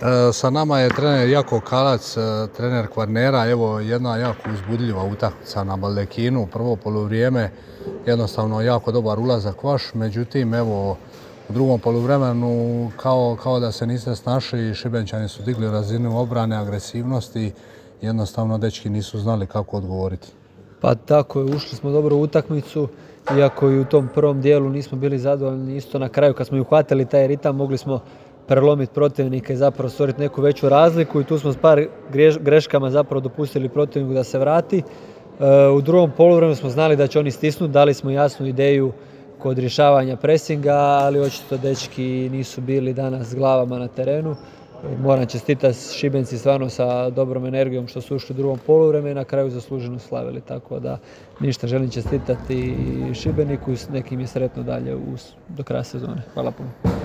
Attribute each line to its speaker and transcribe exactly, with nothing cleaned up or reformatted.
Speaker 1: E, sa nama je trener Jako Kalac, e, trener Kvarnera. Evo jedna jako uzbudljiva utakmica na Baldekinu. Prvo poluvrijeme, jednostavno jako dobar ulazak vaš, međutim evo u drugom poluvremenu kao, kao da se niste snašli, Šibenčani su digli razinu obrane, agresivnosti, jednostavno dečki nisu znali kako odgovoriti.
Speaker 2: Pa tako je, ušli smo dobro u utakmicu, iako i u tom prvom dijelu nismo bili zadovoljni. Isto na kraju kad smo uhvatili taj ritam mogli smo prelomiti protivnika i zapravo stvoriti neku veću razliku i tu smo s par greškama zapravo dopustili protivniku da se vrati. U drugom poluvremenu smo znali da će oni stisnuti, dali smo jasnu ideju kod rješavanja presinga, ali očito dečki nisu bili danas s glavama na terenu. Moram čestitati Šibenci stvarno sa dobrom energijom što su ušli u drugom poluvremenu i na kraju zasluženo slavili. Tako da ništa, želim čestitati Šibeniku i nekim je sretno dalje do kraja sezone. Hvala puno.